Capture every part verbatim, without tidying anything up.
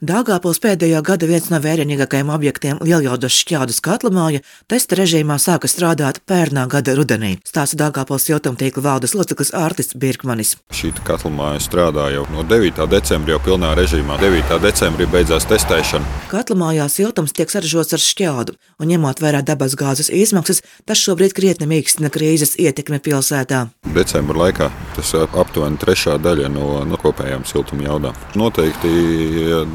Daugavpils pēdējo gadu viens no vērienīgākajiem objektiem Lieljaudas Šķaudas katlamāja testa režīmā sāka strādāt pērnā gada rudenī, stāsta Daugavpils siltumtīkla valdes loceklis Ārtis Birkmanis. Šī katlamāja strādā jau no devītā decembra jau pilnā režīmā. devītā decembrī beidzās testēšana. Katlamājā siltums tiek saražots ar šķaudu, un ņemot vērā dabasgāzes izmaksas, tas šobrīd krietni mīkstina krīzes ietekmi pilsētā. Decembra laikā tas aptuveni trešā daļa no, no kopējām siltuma jaudām. Noteikti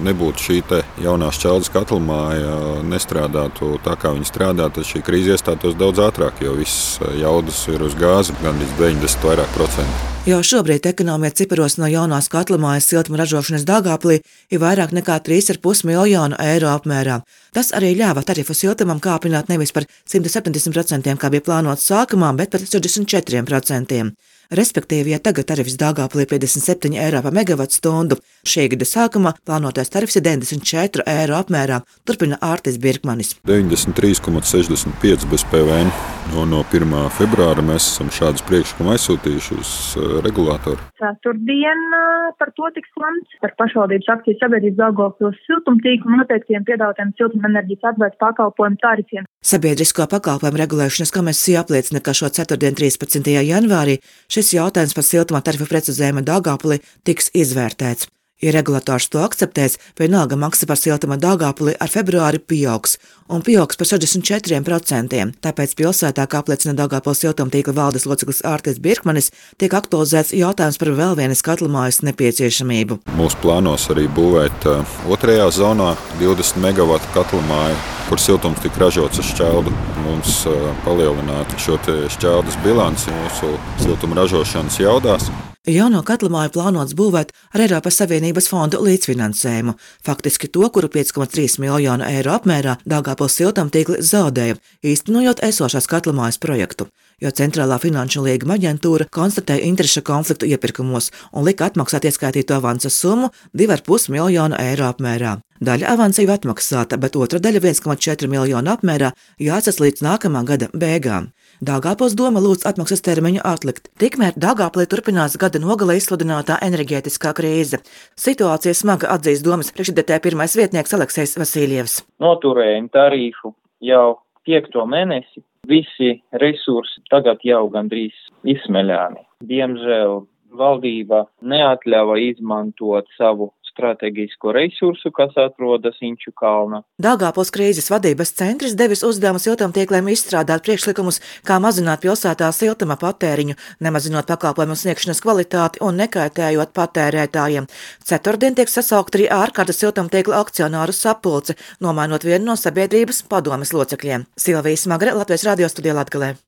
nebūtu šī te jaunā Šķaudas katlamāja, nestrādātu tā, kā viņa strādā, tad šī krīze iestātos daudz ātrāk, jo viss jaudas ir uz gāzi, gandrīz deviņdesmit vairāk procentu. Jau šobrīd ekonomija ciparos no jaunās katlamājas siltuma ražošanas Daugavpilī ir vairāk nekā trīs ar pus miljonu eiro apmērā. Tas arī ļāva tarifu siltumam kāpināt nevis par simt septiņdesmit procentiem, kā bija plānots sākumā, bet par sešdesmit četriem procentiem. Respektīvi, ja tagad tarifs Daugavpilī ir piecdesmit septiņi eiro par megavatstundu, šī gada sākumā plānotais tarifs ir deviņdesmit četri eiro apmērā, turpina Ārtis Birkmanis. deviņdesmit trīs komats sešdesmit pieci bez P V N. No, no pirmā februāra mēs esam šādus priekšlikumu aizsūtījuši uz regulātoru. Ceturtdien par to tiks lemts par pašvaldības akciju sabiedrības Daugavpils siltumtīklu noteiktiem piedāvātiem siltumenerģijas atbaides pakalpojumu tarifiem. Sabiedrisko pakalpojumu regulēšanas komisija apliecina, ka šo ceturtdien trīspadsmitajā janvārī šis jautājums par siltuma tarifu precizējumu Daugavpilī tiks izvērtēts. Ja regulators to akceptēs, vienalga maksa par siltuma Daugavpilī ar februāri pieaugs, un pieaugs par sešdesmit četriem procentiem. Tāpēc pilsētā, kā apliecina Daugavpils siltumtīkla valdes loceklis Ārtis Birkmanis, tiek aktualizēts jautājums par vēl vienas katlamājas nepieciešamību. Mūsu plānos arī būvēt uh, otrajā zonā divdesmit megavatu katlamāju, kur siltums tika ražots ar šķaudu. Mums uh, palielinātu šo te šķaudas bilanci mūsu siltuma ražošanas jaudās. Jauno katlamāju plānots būvēt ar Eiropas Savienības fondu līdzfinansējumu, faktiski to, kuru pieci komats trīs miljonu eiro apmērā Daugavpils siltumtīkli zaudēja, īstenojot esošās katlamājas projektu, jo Centrālā finanšu līguma aģentūra konstatēja interešu konfliktu iepirkumos un lika atmaksāt ieskaitīto avansa summu divi ar pus miljonu eiro apmērā. Daļa avansa jau atmaksāta, bet otra daļa viens komats četri miljonu apmērā jāatsas līdz nākamā gada beigām. Daugavpils doma lūdz atmaksas termiņu atlikt. Tikmēr Daugavpilī turpinās gada nogalē izsludinātā enerģētiskā krīze. Situācija smaga, atzīst domas priekšsēdētāja pirmais vietnieks Aleksejs Vasiljevs. Noturējam tarifu jau piekto mēnesi. Visi resursi tagad jau gandrīz izsmeļāni. Diemžēl valdība neatļauj izmantot savu strateģisko resursu, kas atrodas Inču kalna. Daugavpils krīzes vadības centrs devis uzdevumu siltumtīkliem izstrādāt priekšlikumus, kā mazināt pilsētā siltuma patēriņu, nemazinot pakalpojumu sniegšanas kvalitāti un nekaitējot patērētājiem. Ceturtdien tiek sasaukt arī ārkārtas siltumtīkla akcionāru sapulce, nomainot vienu no sabiedrības padomes locekļiem. Silvija Smagre, Latvijas radio studijā Latgalē.